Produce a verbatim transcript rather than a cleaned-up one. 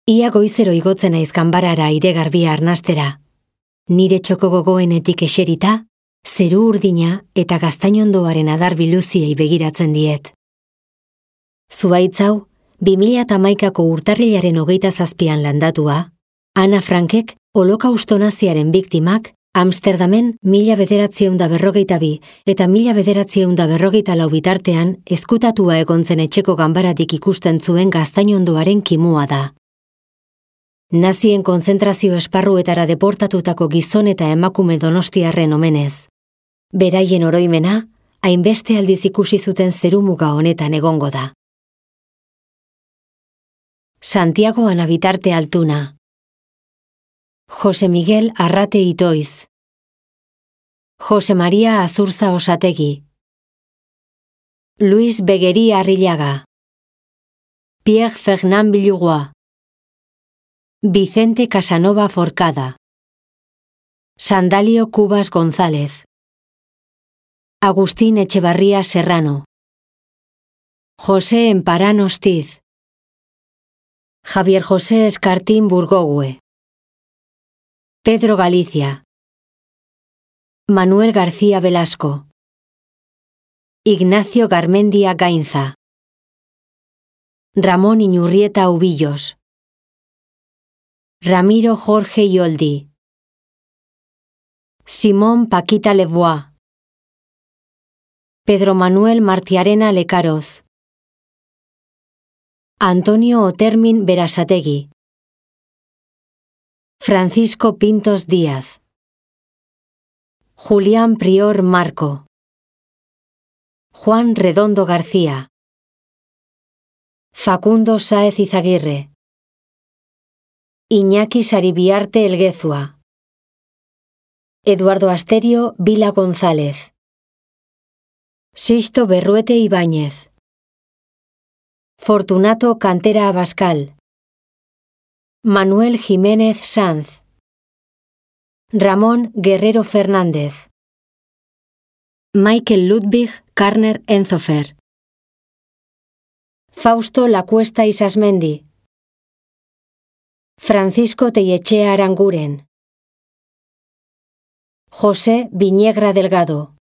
Ia goizero igotzen naiz ganbarara aire garbia arnastera. Nire txoko gogoenetik eserita, zeru urdina eta gaztainondoaren adar biluziei begiratzen diet. Zuhaitz hau, bi mila hamaikako urtarrilaren hogeita zazpian landatua, Ana Frankek holokausto naziaren biktimak Amsterdamen mila bederatziehun da berrogeita bi eta mila bederatziehun da berrogeita lau bitartean ezkutatua egon zen etxeko ganbaratik ikusten zuen gaztainondoaren kimua da. Nazien kontzentrazio esparruetara deportatutako gizon eta emakume donostiarren omenez. Beraien oroimena, hainbeste aldiz ikusi zuten zerumuga honetan egongo da. Santiago Anabitarte Altuna. Jose Miguel Arrate Itoiz. Jose Maria Azurza Osategi. Luis Begueri Arrillaga. Pierre Fernand Villugoa. Vicente Casanova Forcada. Sandalio Cubas González. Agustín Echevarría Serrano. José Emparán Hostiz. Javier José Escartín Burgogue. Pedro Galicia. Manuel García Velasco. Ignacio Garmendia Gainza. Ramón Iñurrieta Ubillos. Ramiro Jorge Yoldi. Simón Paquita Lebois. Pedro Manuel Martiarena Lecaroz. Antonio Otermin Berasategui. Francisco Pintos Díaz. Julián Prior Marco. Juan Redondo García. Facundo Sáez Izaguirre. Iñaki Saribiarte Elguezua. Eduardo Asterio Vila González. Sisto Berruete Ibáñez. Fortunato Cantera Abascal. Manuel Jiménez Sanz. Ramón Guerrero Fernández. Michael Ludwig Karner Enzofer. Fausto Lacuesta Isasmendi. Francisco Tellechea Aranguren. José Viñegra Delgado.